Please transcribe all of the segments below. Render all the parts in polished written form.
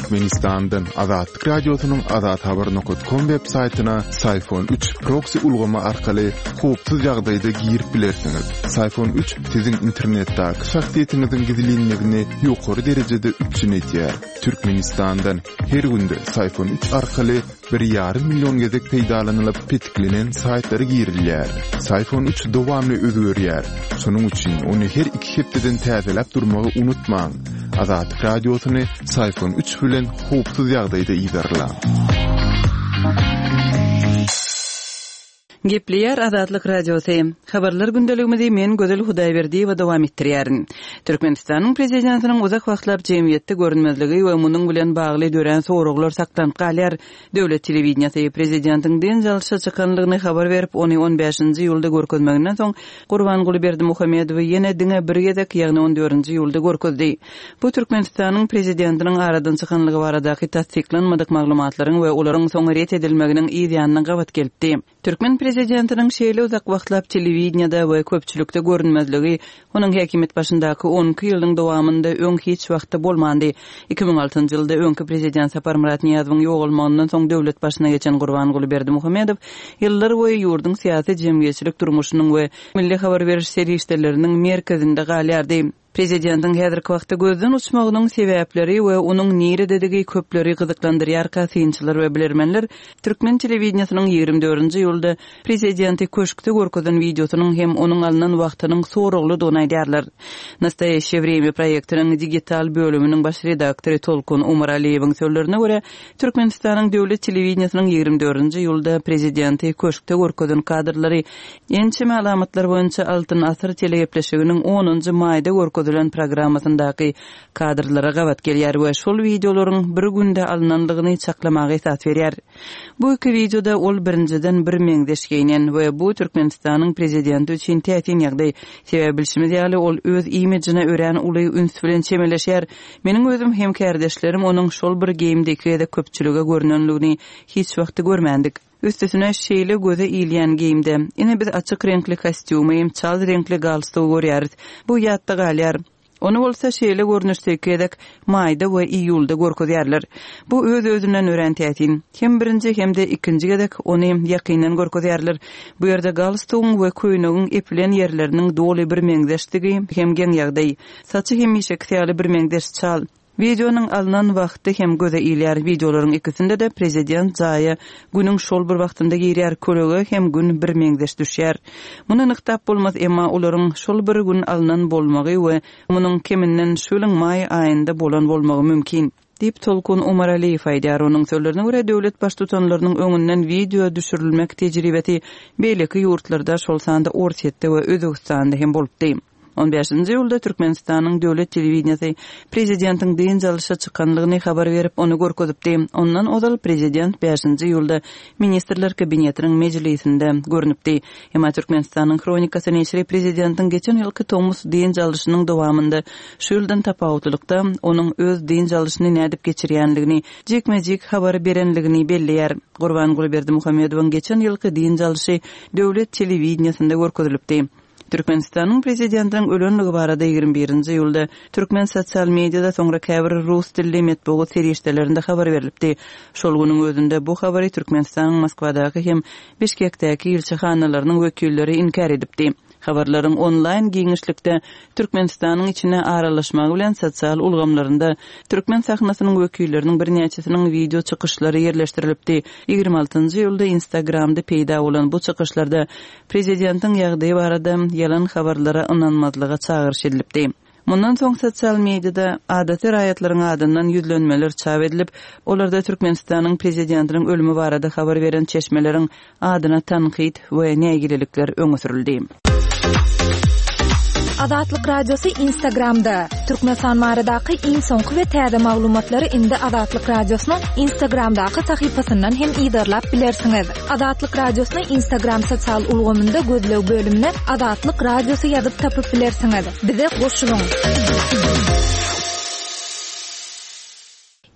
Türkmenistandan Azatlyk Radiosynyň azathabar nokat kom web saýtyna Syfon 3 proksi ulgamy arkaly howpsuz ýagdaýda girip bilersiňiz. Syfon 3 siziň internetdäki şahsyýetiňiziň gizlinligini ýokary derejede üpjün edýär. Türkmenistandan her günde Syfon 3 arkaly bir ýarym million gezek peýdalanylyp petiklenen saýtlara girilýär. Syfon 3 dowamly özgerýär. Şonuň üçin ony her iki hepdeden täzeläp durmagy unutmaň. Azatlyk Radiosyny Syfon 3 bilen howpsuz ýagdaýda yzarlaň. Gepleýär Azatlyk Radiosy. Habarlar gündeligimizi men Gözel Hudaýberdiýewa dowam etdirýärin. Türkmenistanyň Prezidentiniň uzak wagtlap jemgyýetde görünmezligi we munuň bilen bagly dörän soraglar saklanyp galýar. Döwlet telewideniýesi Prezidentiň dynç alşa çykanlygyny habar berip, ony on bäşinji iýulda görkezmeginden soň, Gurbanguly Berdimuhamedowy ýene diňe bir gezek, ýagny on dördünji iýulda görkezdi. Bu Türkmenistanyň Prezidentiniň aradan çykanlygy baradaky tassyklanmadyk maglumatlaryň we olaryň soň ret edilmeginiň yz ýanyna gabat gelipdi. Türkmen prezidentiniň şeýle uzak wagtlap telewideniýede we köpçülikde görünmezligi onuň häkimiýet başyndaky on iki ýylyň dowamynda öň hiç wagtda bolmandy. 2006-njy ýylda öňki prezident Saparmyrat Nyýazowyň ýogalmagyndan soň döwlet başyna geçen Gurbanguly Berdimuhamedow ýyllar boýy ýurduň syýasy-jemgyýetçilik durmuşynyň we milli habar beriş serişdeleriniň merkezinde galýardy. Prezidentiň häzirki wagtda gözden uçmagynyň sebäpleri we onuň nirededigi köpleri gyzyklandyrýarka synçylar we bilermenler türkmen telewideniýesiniň 24-nji iýulda prezidenti köşkde görkezen wideosynyň hem onuň alnan wagtynyň soraglydygyny aýdýarlar. Nastoýaşçe wremýa proýektiniň digital bölüminiň baş redaktory Tolkun Umaraliýewiň sözlerine görä, Türkmenistanyň döwlet telewideniýesiniň 24-nji iýulda prezidenti köşkde görkezen kadrlary Ençeme alamatlar boýunça Altyn asyr telegepleşiginiň onunjy maýda görkezilen programmasyndaky kadrlara gabat gelýär we şol wideolaryň bir günde alnandygyny çaklamaga esas berýär. Bu iki wideoda ol birinjiden birmeňzeş geýnen we bu Türkmenistanyň prezidenti üçin täsin ýagdaý. Sebäbi bilşimiz ýaly ol öz imijine örän uly üns bilen çemeleşýär. Meniň özüm hem kärdeşlerim onuň şol bir geýimde iki gezek köpçülige görnenligini hiç wagtda görmändik. Üstesine şeýle göze ilýän geýimde. Ine biz açyk reňkli kostýumy, çal reňkli galstugy görýäris. Bu ýatda galýar. Ony bolsa şeýle görnüşde iki gezek, maýda we iýulda görkezýärler. Bu öz-özünden örän täsin. Hem birinji hem-de ikinji gezek ony ýakyndan görkezýärler. Bu ýerde galstugyň we köýnegiň epilen ýerleriniň doly birmeňzeşdigi hem geň ýagdaý. Saçy hemişekisi ýaly birmeňzeş çal. Wideonyň alnan wagty hem göze ilýär. Wideolaryň ikisinde-de prezident jaýa günüň şol bir wagtynda girýär, kölege hem gün birmeňzeş düşýär. Muny nygtap bolmaz, emma olaryň şol bir gün alnan bolmagy we munuň keminden şu ýylyň maý aýynda bolan bolmagy mümkin. Diýip, Tolkun Umaraliýew aýdýar. Onuň sözlerine görä, döwlet baştutanlarynyň öňünden wideo düşürilmek tejribesi beýleki ýurtlarda, şol sanda Orsýetde we Özbegistanda hem bolupdy. On bäşinji iýulda Türkmenistanyň döwlet telewideniýesi prezidentiň dynç alyşa çykanlygyny habar berip, ony görkezipdi. Ondan ozal prezident bäşinji iýulda Ministrler Kabinetiniň mejlisinde görnüpdi. Emma Türkmenistanyň Hronikasy neşiri prezidentiň geçen ýylky tomus dynç alyşynyň dowamynda şu ýyldan tapawutlylykda, onuň öz dynç alyşyny nädip geçirýänligini jikme-jik habar berenligini belleýär. Gurbanguly Berdimuhamedowyň geçen ýylky dynç alyşy döwlet telewideniýesinde görkezilipdi. Türkmenistanyň Prezidentiniň ölenligi barada 21-nji iýulda türkmen sosial mediada, soňra käbir rus dilli metbugat serişdelerinde habar berlipdi. Şol günüň özünde bu habary Türkmenistanyň Moskwadaky hem Bişkekdäki ilçihanalarynyň wekilleri inkär edipdi. Habarlaryň onlaýn giňişlikde Türkmenistanyň içine aralaşmagy bilen sosial ulgamlarynda türkmen sahnasynyň wekilleriniň birnäçesiniň wideo çykyşlary ýerleşdirilipdi. 26-njy iýulda Instagramda peýda bolan bu çykyşlarda Prezidentiň ýagdaýy barada ýalan habarlara ynanmazlyga çagyryş edilipdi. Mundan soň sosial mediada adaty raýatlaryň adyndan ýüzlenmeler çap edilip, olarda Türkmenistanyň prezidentiniň ölümi barada habar beren çeşmeleriň adyna tankyt we nägilelikler öňe sürüldi. Azatlyk Radiosy Instagramda, Türkmenistan baradaky iň soňky we täze maglumatlary indi Azatlyk Radiosynyň Instagramdaky sahypasyndan hem yzarlap bilersiňiz. Azatlyk Radiosyny Instagram sosial ulgamynda gözleg bölümine Azatlyk Radiosy ýazyp tapyp bilersiňiz. Bize goşulyň!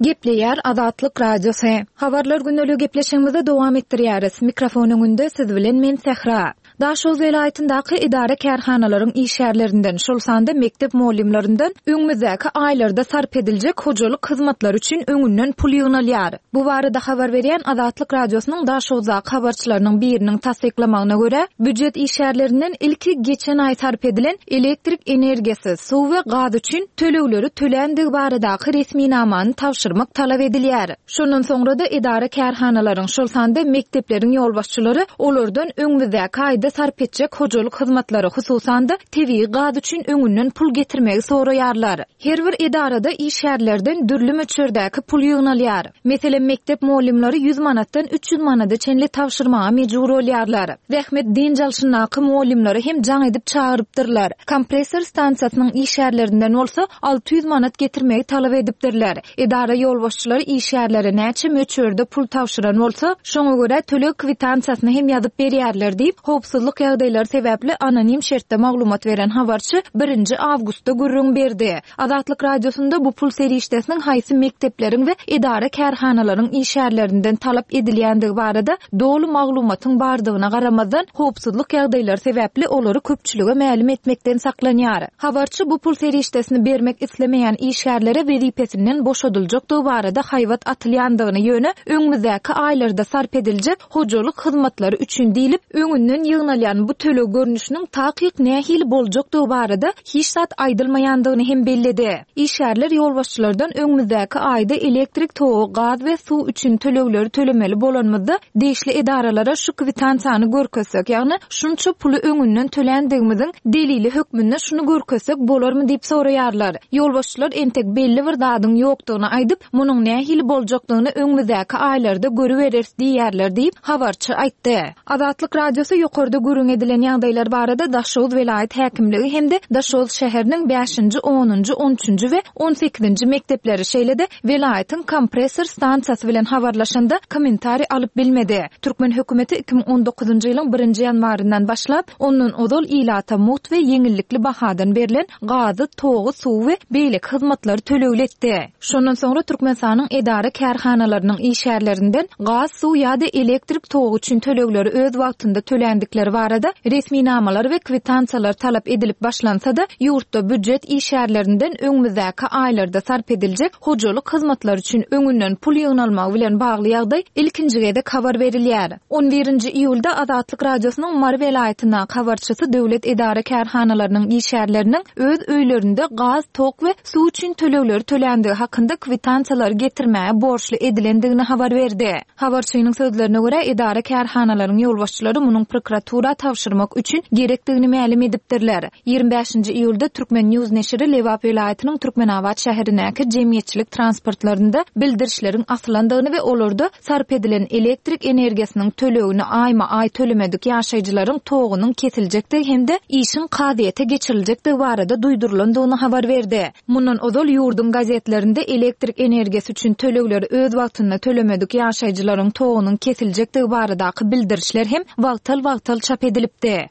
Gepleýär Azatlyk Radiosy. Habarlar gündeligi gepleşigimizi dowam etdirýäris. Mikrofon öňünde siz bilen men Sähra. Daşoguz welaýatyndaky edara-kärhanalaryň işgärlerinden, şol sanda mekdep mugallymlaryndan öňümizdäki aýlarda sarp ediljek hojalyk hyzmatlary üçin öňünden pul ýygnalýar. Bu barada habar berýän Azatlyk Radiosynyň Daşoguzdaky habarçylarynyň biriniň tassyklamagyna görä, býujet işgärlerinden ilki geçen aý sarp edilen elektrik energiýasy, suw we gaz üçin tölegleri töländigi baradaky resminamany tabşyrmak talap edilýär. Şondan soňra-da edara-kärhanalaryň, şol sanda mekdepleriň ýolbaşçylary olardan öňümizdäki aýda sarp etjek hojalyk hyzmatlary, hususan-da, tebigy gaz üçin öňünden pul getirmegi soraýarlar. Her bir edarada işgärlerden dürli möçberdäki pul ýygnalýar. Meselem, mekdep mugallymlary 100 manatdan 300 manada çenli tabşyrmaga mejbur bolýarlar. Zähmet dynç alşyndaky mugallymlary hem jaň edip çagyrypdyrlar. Kompressor stansiýasynyň işgärlerinden bolsa 600 manat getirmegi talap edipdirler. Edara ýolbaşçylary işgärlere näçe möçberde pul tabşyran bolsa, şoňa görä töleg kwitansiýasyny hem ýazyp berýärler diýip, howpsuzlyk ýagdaýlary sebäpli anonim şertde maglumat beren habarçy birinji awgustda gürrüň berdi. Azatlyk Radiosynda bu pul serişdesiniň haýsy mekdepleriň we edara-kärhanalaryň işgärlerinden talap edilýändigi barada doly maglumatyň bardygyna garamazdan, howpsuzlyk ýagdaýlary sebäpli olary köpçülige mälim etmekden saklanýar. Habarçy bu pul serişdesini bermek islemeýän işgärlere wezipesinden boşadyljakdygy barada haýbat atylýandygyny, ýöne öňümizdäki aýlarda sarp ediljek hojalyk hyzmatlary üçin diýlip, öňünden ýygnalýan bu töleg görnüşiniň takyk nähili boljakdygy barada hiç zat aýdylmaýandygyny hem belledi. Işgärler ýolbaşçylardan öňümizdäki aýda elektrik togy, gaz we suw üçin tölegleri tölemeli bolanymyzda, degişli edaralara şu kwitansiýany görkezsek, ýagny şunça puly öňünden töländigimiziň delili hökmünde şuny görkezsek bolarmy diýip soraýarlar. Ýolbaşçylar entek belli bir zadyň ýokdugyny aýdyp, munuň nähili boljakdygyny öňümizdäki aýlarda görübereris diýýärler diýip, habarçy aýtdy. Azatlyk Radiosy ýokarda gürrüň edilen ýagdaýlar barada Daşoguz welaýat häkimligi hem-de Daşoguz şäheriniň bäşinji, onunjy, on üçünji we on sekizinji mekdepleri, şeýle-de welaýatyň kompressor stansiýasy bilen habarlaşanda kommentariý alyp bilmedi. Türkmen hökümeti 2019-njy ýylyň birinji ýanwaryndan başlap, ondan ozal ilata mugt we ýeňillikli bahadan berlen gazy, togy, suwy we beýleki hyzmatlary tölegli etdi. Şondan soňra Türkmenistanyň edara-kärhanalarynyň işgärlerinden gaz, suw ýa-da elektrik togy üçin tölegleri öz wagtynda töländikleri barada resminamalar we kwitansiýalar talap edilip başlansa-da, ýurtda býujet işgärlerinden öňümizdäki aýlarda sarp ediljek hojalyk hyzmatlary üçin öňünden pul ýygnalmagy bilen bagly ýagdaý ilkinji gezek habar berilýär. On birinji iýulda Azatlyk Radiosynyň Mary welaýatyndaky habarçysy döwlet edara-kärhanalarynyň işgärleriniň öz öýlerinde gaz, tok we suw üçin tölegleri töländigi hakynda kwitansiýalary getirmäge borçly edilendigini habar berdi. Habarçynyň sözlerine görä, edara-kärhanalaryň ýolbaşçylary munuň prokuratura tabşyrmak üçin gerekdigini mälim edipdirler. 25-nji iýulda Turkmen. News neşiri Lebap welaýatynyň Türkmenabat şäherindäki jemgyýetçilik transportlarynda bildirişleriň asylandygyny we olarda Sarp edilen elektrik energiýasynyň tölegini aýma-aý tölemedik ýaşaýjylaryň togunyň kesiljekdigi hem-de işiň kazyýete geçiriljekdigi barada duýdurylandygyny habar berdi. Mundan ozal ýurduň gazetlerinde elektrik energiýasy üçin tölegleri öz wagtynda tölemedik ýaşaýjylaryň togunyň kesiljekdigi baradaky bildirişler hem wagtal-wagtal çap edilipdi.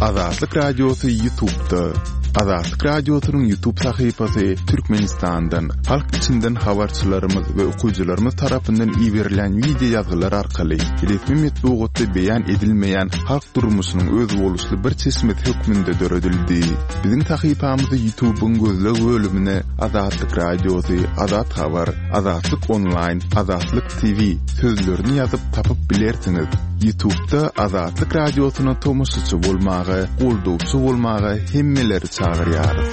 Azatlyk Radiosy YouTube'da. Azatlyk Radiosynyň YouTube sahypasy Türkmenistandan, halk içinden habarçylarymyz we okyjylarymyz tarapyndan iberilen wideo ýazgylar arkaly resmi metbugatda beýan edilmeýän halk durmuşynyň özboluşly bir çeşmesi hökmünde döredildi. Biziň sahypamyzy YouTube'yň gözleg bölümine Azatlyk Radiosy, Azat Habar, Azatlyk Onlaýn, Azatlyk TV sözlerini ýazyp tapyp bilersiňiz. Ýutubda Azatlyk Radiosyna tomaşaçy bolmaga, goldawçy bolmaga hemmeleri çagyrýarys.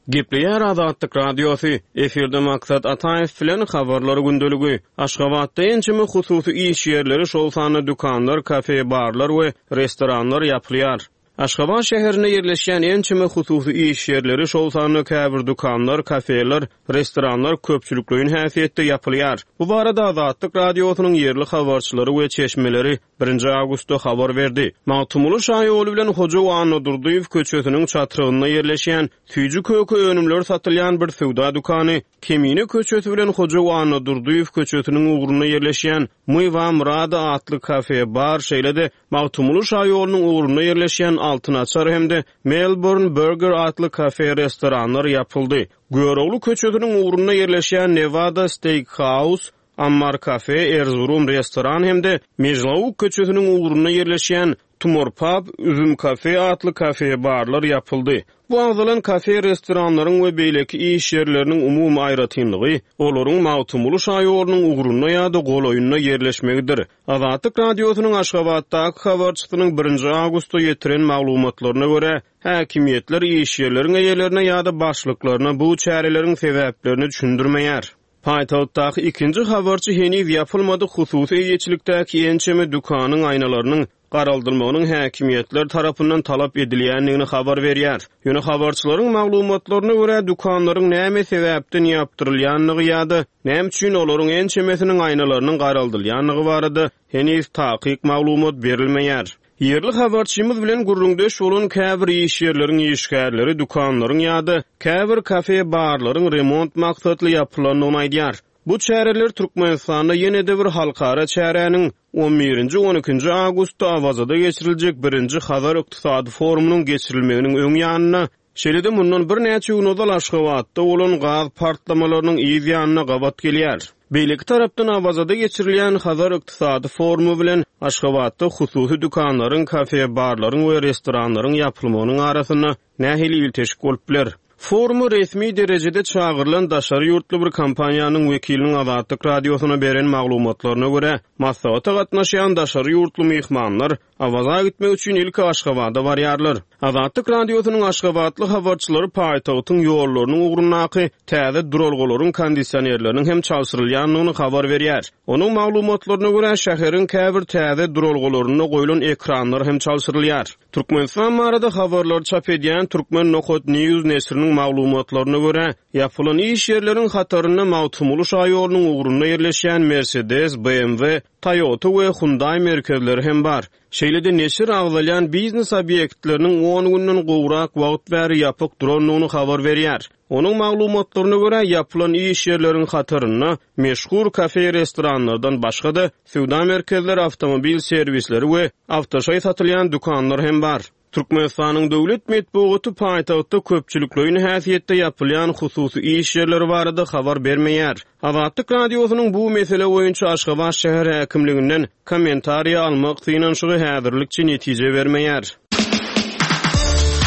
Gepleýär Azatlyk Radiosy, efirde Maksat Ataýew bilen Habarlar gündeligi. Aşgabatda ençeme hususy iş ýerleri, şol sanda dükanlar, kafe-barlar we restoranlar ýapylýar. Aşgabat şäherinde ýerleşýän ençeme hususy iş ýerleri, şol sanda käbir dükanlar, kafeler, restoranlar köpçülikleýin häsiýetde ýapylýar. Bu barada Azatlyk Radiosynyň ýerli habarçylary we çeşmeleri birinji awgustda habar berdi. Magtymguly şaýoly bilen Hoja Annadurdyýew köçesiniň çatrygynda ýerleşýän süýji-köke önümleri satylýan bir söwda dükany, Kemine köçesi bilen Hoja Annadurdyýew köçesiniň ugrunda ýerleşýän My wam rady atly kafe-bar, şeýle-de Magtymguly şaýolunyň ugrunda ýerleşýän Altyn açar hem-de Melbourne Burger atly kafe-restoranlar ýapyldy. Görogly köçesiniň ugrunda ýerleşýän Nevada Steak House. Ammar kafe, Erzurum restoran hem-de Mejlauk köçesiniň ugrunda ýerleşýän Tumor pub, Üzüm kafe atly kafe-barlar ýapyldy. Bu agzalan kafe-restoranlaryň we beýleki iş ýerleriniň umumy aýratynlygy, olaryň Magtymguly şaýolunyň ugrunda ýa-da golaýynda ýerleşmegidir. Azatlyk Radiosynyň Aşgabatdaky habarçysynyň birinji awgustda ýetiren maglumatlaryna görä, häkimiýetler iş ýerleriň eýelerine ýa-da başlyklaryna bu çäreleriň sebäplerini düşündirmeýär. Paýtagtdaky ikinji habarçy heniz ýapylmadyk hususy eýeçilikdäki ençeme dükanyň aýnalarynyň garaldylmagynyň häkimiýetler tarapyndan talap edilýändigini habar berýär. Ýöne habarçylaryň maglumatlaryna görä, dükanlaryň näme sebäpden ýapdyrylýandygy ýa-da näme üçin olaryň ençemesiniň aýnalarynyň garaldylýandygy barada heniz takyk maglumat berilmeýär. Ýerli habarçymyz bilen gürrüňdeş bolan käbir iş ýerleriň işgärleri dükanlaryň ýa-da käbir kafe-barlaryň remont maksatly ýapylandygyny aýdýar. Bu çäreler Türkmenistanda ýene-de bir halkara çäräniň, on birinji, on ikinji awgustda Awazada geçiriljek birinji Hazar ykdysady forumynyň geçirilmeginiň öň ýanynda, şeýle-de mundan birnäçe gün ozal Aşgabatda bolan gaz partlamalarynyň yz ýanyna gabat gelýär. Beýleki tarapdan Awazada geçirilýän Hazar ykdysady forumy bilen Aşgabatda hususy dükanlaryň, kafe-barlaryň we restoranlaryň ýapylmagynyň arasynda nähili ilteşik bolup biler? Foruma resmi derejede çagyrylan daşary ýurtly bir kompaniýanyň wekiliniň Azatlyk Radiosyna beren maglumatlaryna görä, maslahata gatnaşýan daşary ýurtly myhmanlar Awaza gitmek üçin ilki Aşgabada barýarlar. Azatlyk Radiosynyň aşgabatly habarçylary paýtagtyň ýollarynyň ugrundaky täze duralgalaryň kondisionerleriniň hem çalşyrylýandygyny habar berýär. Onuň maglumatlaryna görä, şäheriň käbir täze duralgalarynda goýlan ekranlar hem çalşyrylýar. Türkmenistan barada habarlary çap edýän Turkmen nokat news neşiriniň maglumatlaryna görä, ýapylan iş ýerleriň hatarynda Magtymguly şaýolunyň ugrunda ýerleşýän Mercedes, BMW, Toyota we Hyundai merkezleri hem bar. Şeýle-de neşir agzalýan biznes obýektleriniň on günden gowrak wagt bäri ýapyk durandygyny habar berýär. Onuň maglumatlaryna görä, ýapylan iş ýerleriň hatarynda meşhur kafe-restoranlardan başga-da, söwda merkezleri, awtomobil serwisleri we awtoşaý satylýan dükanlar hem bar. Türkmenistanyň döwlet metbugaty paýtagtda köpçülikleýin häsiýetde ýapylýan hususy iş ýerleri barada habar bermeýär. Azatlyk Radiosynyň bu mesele boýunça Aşgabat şäher häkimliginden kommentariýa almak synanyşygy häzirlikçe netije bermeýär.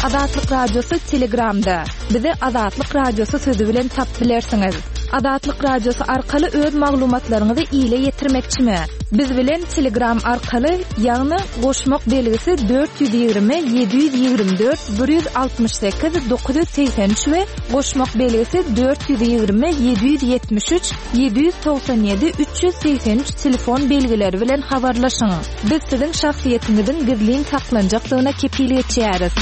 Azatlyk Radiosy Telegramda. Bizi Azatlyk Radiosy sözi bilen tapyp bilersiňiz. Azatlyk Radiosy arkaly öz maglumatlaryňyzy ile ýetirmekçimi? Biz bilen Telegram arkaly, ýagny goşmak belgisi 420 724 168 983 we goşmak belgisi 420 773 797 383 telefon belgileri bilen habarlaşyň. Biz siziň şahsyýetiňiziň gizlin saklanjakdygyna kepil geçýäris.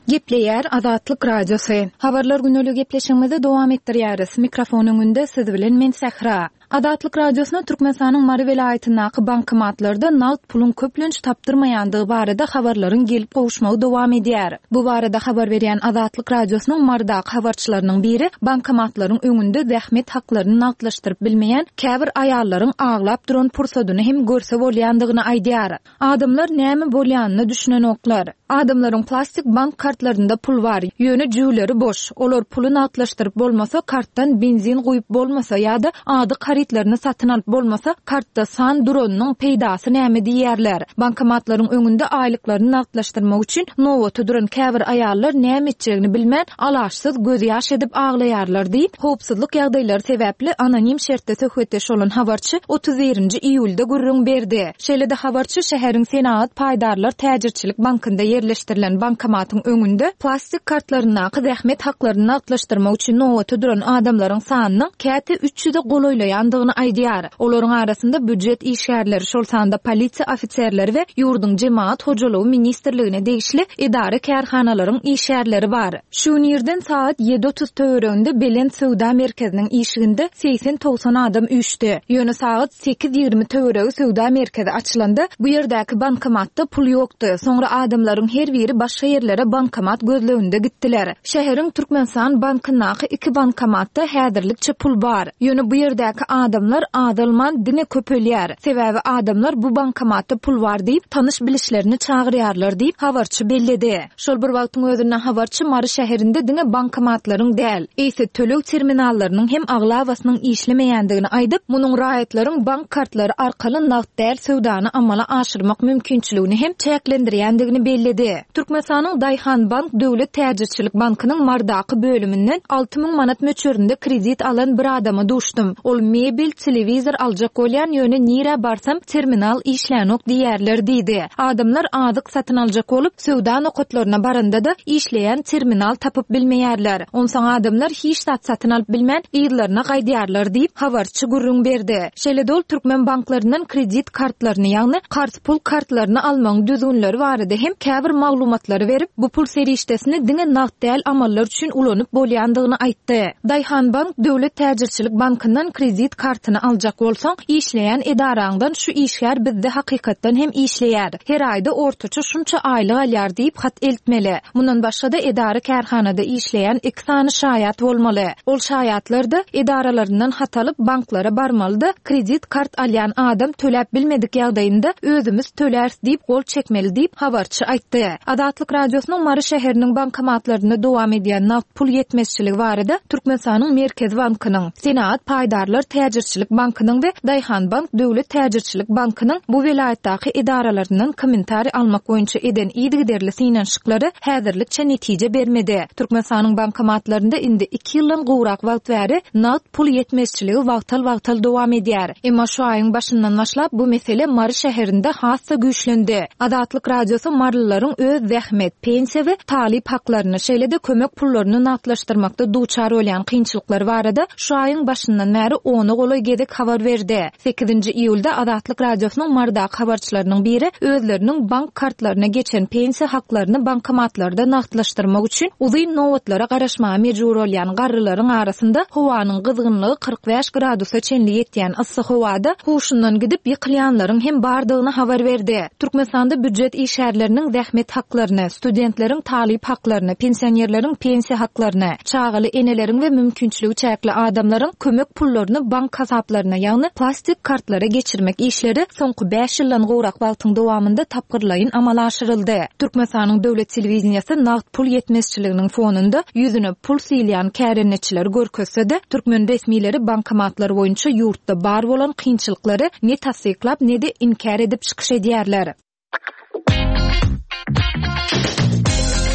Gepleýär Azatlyk Radiosy. Habarlar güneli gepleşigimizi dowam etdirýäris. Mikrofon öňünde siz bilen men Sähra. Azatlyk Radiosyna Türkmenistanyň Mary welaýatyndaky bankomatlarda nagt puluň köplenç tapdyrmaýandygy barada habarlaryň gelip gowuşmagy dowam edýär. Bu barada habar berýän Azatlyk Radiosynyň Marydaky habarçylarynyň biri bankomatlaryň öňünde zähmet haklaryny nagtlaşdyryp bilmeýän käbir aýallaryň aglap duran pursadyny hem görse bolýandygyny aýdýar. Adamlar näme bolýanyna düşünenoklar. Adamlaryň plastik bank kartlarynda pul bar, ýöne jübüleri boş. Olar puly nagtlaşdyryp bolmasa, kartdan benzin guýup bolmasa ýa-da azyk harytlaryny satyn alyp bolmasa, kartda san duranynyň peýdasy näme diýýärler. Bankomatlaryň öňünde aýlyklaryny nagtlaşdyrmak üçin nobata duran käbir aýallar näme etjegini bilmän, alaçsyz gözýaş edip aglaýarlar diýip, howpsuzlyk ýagdaýlary sebäpli anonim şertde söhbetdeş bolan habarçy 31-nji iýulda gürrüň berdi. Şeýle-de habarçy şäheriň Senagat paýdarlar täjirçilik bankynda ýerleşdirilen bankomatyň öňünde plastik kartlaryndaky zähmet haklaryny nagtlaşdyrmak üçin nobata duran adamlaryň sanynyň käte üç ýüze golaýlaýandygyny aýdýar. Olaryň arasynda býujet işgärleri, şol sanda polisiýa ofiserleri we ýurduň Jemagat hojalygy ministrligine degişli edara-kärhanalaryň işgärleri bar. Şu gün irden sagat ýedi 30 töwereginde Belent söwda merkeziniň işiginde segsen-togsan adam üýşdi. Ýöne sagat 8:20 töweregi söwda merkezi açylanda, bu ýerdäki bankomatda pul ýokdy. Soňra adamlaryň her biri başga ýerlere bankomat gözleginde gitdiler. Şäheriň Türkmenistan bankyndaky iki bankomatda häzirlikçe pul bar. Ýöne bu ýerdäki. adamlar azalman, diňe köpelýär. Sebäbi adamlar bu bankomatda pul bar diýip, tanyş-bilişlerini çagyrýarlar diýip, habarçy belledi. Şol bir wagtyň özünde habarçy Mary şäherinde diňe bankomatlaryň däl, eýse töleg terminallarynyň hem aglabasynyň işlemeýändigini aýdyp, munuň raýatlaryň bank kartlary arkaly nagt däl söwdany amala aşyrmak mümkinçiligini hem çäklendirýändigini belledi. Türkmenistanyň Daýhanbank döwlet täjirçilik bankynyň Marydaky bölüminden 6000 manat möçberinde kredit alan bir adama duşdum. Ol mebel, telewizor aljak bolýan, ýöne nirä barsam terminal işlänok diýýärler diýdi. Adamlar azyk satyn aljak bolup, söwda nokatlaryna baranda-da, işleýän terminal tapyp bilmeýärler. Onsoň adamlar hiç zat satyn alyp bilmän, yzlaryna gaýdýarlar diýip, habarçy gürrüň berdi. Şeýle-de ol türkmen banklaryndan kredit kartlaryny, ýagny karz pul kartlaryny almagyň düzgünleri barada hem käbir maglumatlary berip, bu pul serişdesini diňe nagt däl amallar üçin ulanyp bolýandygyny aýtdy. Daýhanbank döwlet täjirçilik bankyndan kredit kartyny aljak bolsaň, işleýän edaraňdan şu işgär bizde hakykatdan hem işleýär, her aýda ortaça şunça aýlyk alýar diýip hat eltmeli. Mundan başga-da edara-kärhanada işleýän iki sany şaýat bolmaly. Ol şaýatlar-da edaralaryndan hat alyp banklara barmaly-da, kredit kart alýan adam töläp bilmedik ýagdaýynda özümiz töläris diýip gol çekmeli diýip, habarçy aýtdy. Azatlyk Radiosynyň Mary şäheriniň bankomatlarynda dowam edýän nagt pul ýetmezçiligi barada Türkmenistanyň Merkezi bankynyň, Senagat paýdarlar täjirçilik bankynyň we Daýhanbank döwlet täjirçilik bankynyň bu welaýatdaky edaralaryndan kommentariý almak boýunça eden yzygiderli synanyşyklary häzirlikçe netije bermedi. Türkmenistanyň bankomatlarynda indi iki ýyldan gowrak wagt bäri nagt pul ýetmezçiligi wagtal-wagtal dowam edýär. Emma şu aýyň başyndan başlap bu mesele Mary şäherinde has-da güýçlendi. Azatlyk Radiosy marylylaryň öz zähmet, pensiýa we talyp haklaryny, şeýle-de kömek pullaryny nagtlaşdyrmakda duçar bolýan kynçylyklary barada şu aýyň başyndan bäri ona golaý gezek habar berdi. Sekizinji iýulda Azatlyk Radiosynyň Marydaky habarçylarynyň biri özleriniň bank kartlaryna geçen pensiýa haklaryny bankomatlarda nagtlaşdyrmak üçin uzyn nobatlara garaşmaga mejbur bolýan garrylaryň arasynda howanyň gyzgynlygy 45 gradusa çenli ýetýän yssy howada huşundan gidip ýykylýanlaryň hem bardygyny habar berdi. Türkmenistanda býujet işgärleriniň zähmet haklaryny, studentleriň talyp haklaryny, pensionerleriň pensiýa haklaryny, çagaly eneleriň we mümkinçiligi çäkli adamlaryň kömek pullaryny bank hasaplaryna, ýagny plastik kartlara geçirmek işleri soňky bäş ýyldan gowrak wagtyň dowamynda tapgyrlaýyn amala aşyryldy. Türkmenistanyň döwlet telewideniýesi nagt pul ýetmezçiliginiň fonunda ýüzüne pul sylýan kärendeçileri görkezse-de, türkmen resmileri bankomatlar boýunça ýurtda bar bolan kynçylyklary ne tassyklap, ne-de inkär edip çykyş edýärler.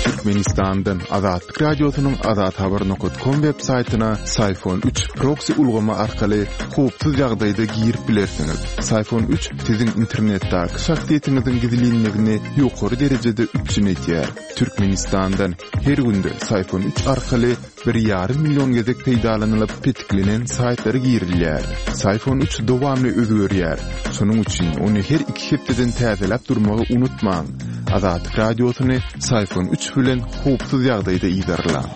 Türkmenistandan Azatlyk Radiosynyň Azathabar nokat kom web saýtyna Syfon 3 proksi ulgamy arkaly howpsuz ýagdaýda girip bilersiňiz. Syfon 3 siziň internetdäki şahsyýetiňiziň gizlinligini ýokary derejede üpjün edýär. Türkmenistandan her günde Syfon 3 arkaly bir ýarym million gezek peýdalanylyp petiklenen saýtlara girilýär. Syfon 3 dowamly özgerýär. Şonuň üçin ony her iki hepdeden täzeläp durmagy unutmaň. Azatlyk Radiosyny Syfon 3 bilen howpsuz ýagdaýda yzarlaň.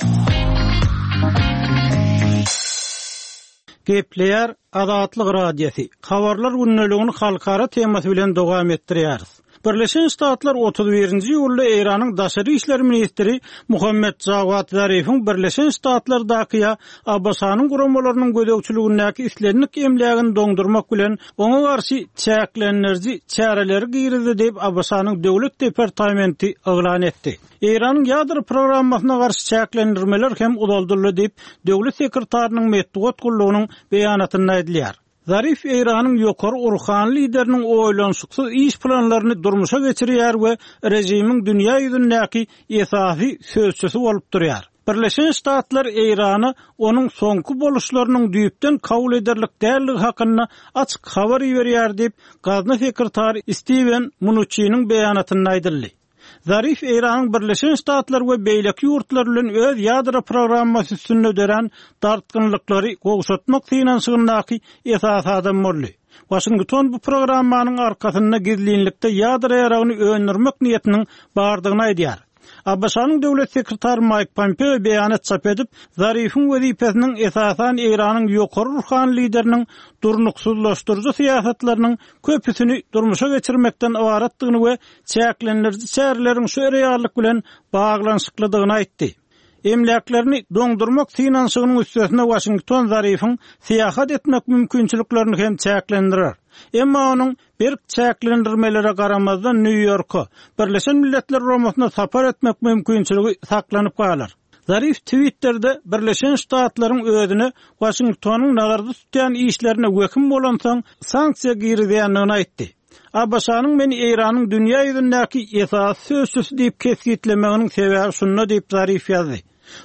Gepleýär Azatlyk Radiosy, Habarlar gündeligini halkara temasy bilen dowam etdirýäris. Birleşen Ştatlar 31-nji iýulda Eýranyň daşary işler ministri Muhammet Jawad Zarifiň Birleşen Ştatlardaky ýa ABŞ-nyň guramalarynyň gözegçiligindäki islendik emlägini doňdurmak bilen oňa garşy çäklendiriji çäreleri girizdi diýip, ABŞ-nyň Döwlet departamenti yglan etdi. Eýranyň ýadro programmasyna garşy çäklendirmeler hem uzaldyldy diýip, döwlet sekretarynyň metbugat gullugynyň beýanatynda aýdylýar. Zarif Eýranyň ýokary ruhany lideriniň oýlanyşyksyz iş planlaryny durmuşa geçirýär we režimiň dünýä ýüzündäki esasy sözçüsi bolup durýar. Birleşen Ştatlar Eýrana onuň soňky boluşlarynyň düýpden kabul ederlik däldigi hakynda açyk habar iberýär diýip, gazna sekretary Stiwen Mnuçiniň beýanatynda aýdyldy. Zarif Eýranyň Birleşen Ştatlar we beýleki ýurtlar bilen öz ýadro programmasy üstünde dörän dartgynlyklary gowşatmak synanyşygyndaky esasy adam boldy. Waşington bu programmanyň arkasynda gizlinlikde ýadro ýaragyny öndürmek niýetiniň bardygyny aýdýar. ABŞ-nyň döwlet sekretary Maýk Pompeo beýanat çap edip, Zarifiň wezipesiniň esasan Eýranyň ýokary ruhany lideriniň durnuksyzlaşdyryjy syýasatlarynyň köpüsini durmuşa geçirmekden ybaratdygyny we çäklendiriji çäreleriň şu reallyk bilen baglanyşyklydygyny aýtdy. Emläklerini doňdurmak synanyşygynyň üstesine Waşington Zarifiň syýahat etmek mümkinçiliklerini hem çäklendirer. Emma onuň berk çäklendirmelere garamazdan Nýu-Ýorka, Birleşen Milletler Guramasyna sapar etmek mümkinçiligi saklanyp galar. Zarif Twitterde Birleşen Ştatlaryň özüne Waşingtonyň nazarda tutýan işlerine wehim bolansoň sanksiýa girizýändigini aýtdy. ABŞ-nyň meni Eýranyň dünýä ýüzündäki esasy sözçüsi diýip kesgitlemeginiň sebäbi şunda diýip Zarif ýazdy.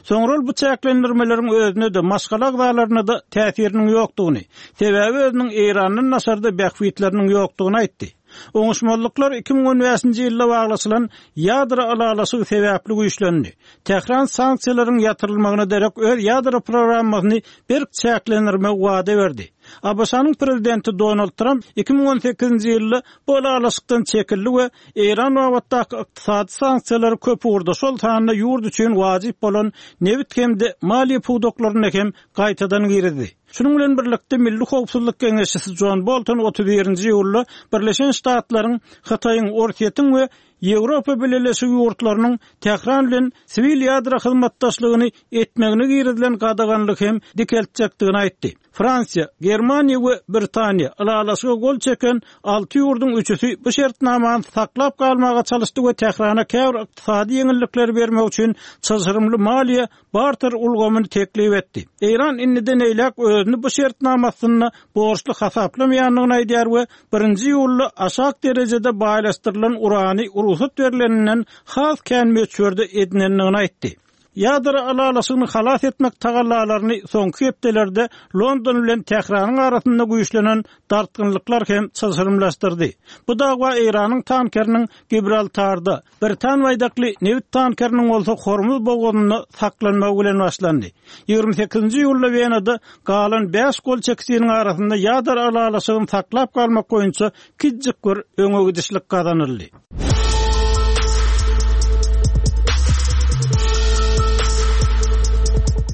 Soňra ol bu çäklendirmeleriň özüne-de, maşgala agzalaryna-da täsiriniň ýokdugyny, sebäbi özüniň Eýrandan daşarda bähbitleriniň ýokdugyny aýtdy. Oňuşmazlyklar 2015-nji ýylda baglaşylan ýadro ylalaşygy sebäpli güýçlendi. Tähran sanksiýalaryň ýatyrylmagyna derek öz ýadro programmasyny berk çäklendirmegi wada berdi. ABŞ-nyň prezidenti Donald Tramp 2018-nji ýylda bu ylalaşykdan çekildi we Eýran babatdaky ykdysady sanksiýalary köp ugurda, şol sanda ýurt üçin wajyp bolan nebit hem-de maliýe pudaklarynda hem gaýtadan girizdi. Şunuň bilen birlikde, Milli howpsuzlyk geňeşçisi Jon Bolton 31-nji iýulda Birleşen Ştatlaryň, Hytaýyň, Orsýetiň we Ýewropa Bileleşigi ýurtlarynyň Tähran bilen siwil ýadro hyzmatdaşlygyny etmegine girizilen gadaganlygy hem dikeltjekdigini aýtdy. Fransiýa, Germaniýa we Britaniýa ylalaşyga gol çeken alty ýurduň üçüsi bu şertnamany saklap galmaga çalyşdy we Tährana käbir ykdysady ýeňillikleri bermek üçin çylşyrymly maliýe barter ulgamyny teklip etdi. Eýran indiden eýläk özüni bu şertnama astynda borçly hasaplamaýandygyny aýdýar we birinji iýulda aşak derejede baýlaşdyrylan urany rugsat berleninden has kän möçberde edinendigini aýtdy. Ýadro ylalaşygyny halas etmek tagallalaryny soňky hepdelerde London bilen Tähranyň arasynda güýçlenen dartgynlyklar hem çylşyrymlaşdyrdy. Bu dawa Eýranyň tankeriniň Gibraltarda, britan baýdakly nebit tankeriniň bolsa Hormuz bogazynda saklanmagy bilen başlandy. 28-nji iýulda Wenada galan bäş gol çekijiniň arasynda ýadro ylalaşygyny saklap galmak boýunça kiçijik bir öňe gidişlik gazanyldy.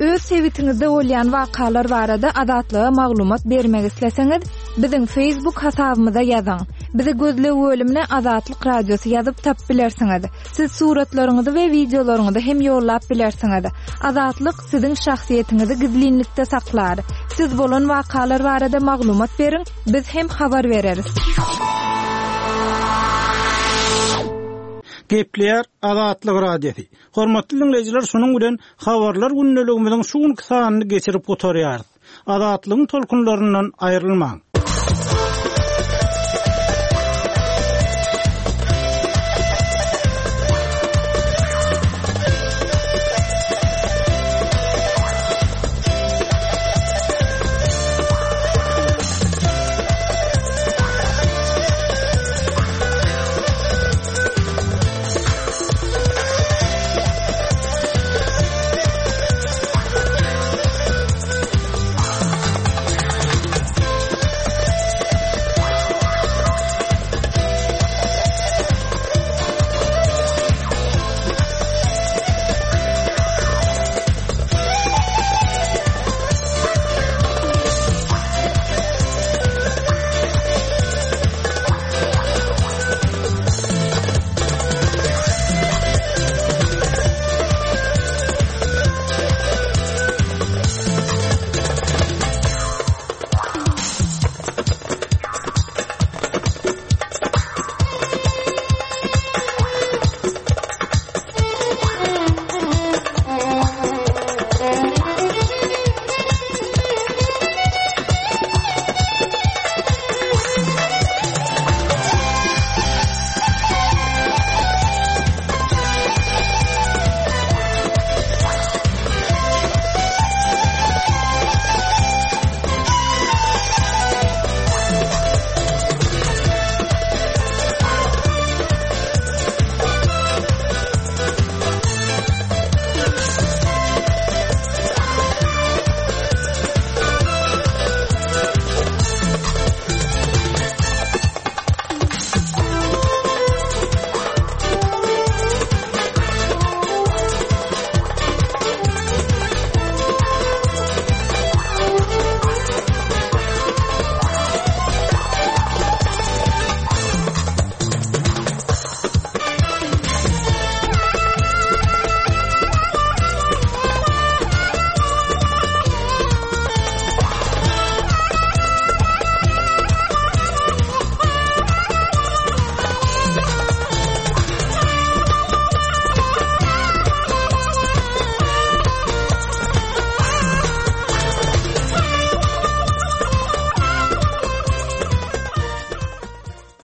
Öz sebitiňizde bolýan wakalar barada Azatlyga maglumat bermek isleseňiz, biziň Facebook hasabymyza ýazyň. Bizi gözleg bölümine Azatlyk Radiosy ýazyp tapyp bilersiňiz. Siz suratlaryňyzy we wideolaryňyzy hem ýollap bilersiňiz. Azatlyk siziň şahsyýetiňizi gizlinlikde saklar. Siz bolan wakalar barada maglumat beriň, biz hem habar bereris. Gepleýär Azatlyk Radiosy. Hormatly diňleýjiler şunuň bilen Habarlar gündeligimiziň şu günki sanyny geçirip gutarýarys. Azatlygyň tolkunlaryndan aýrylmaň.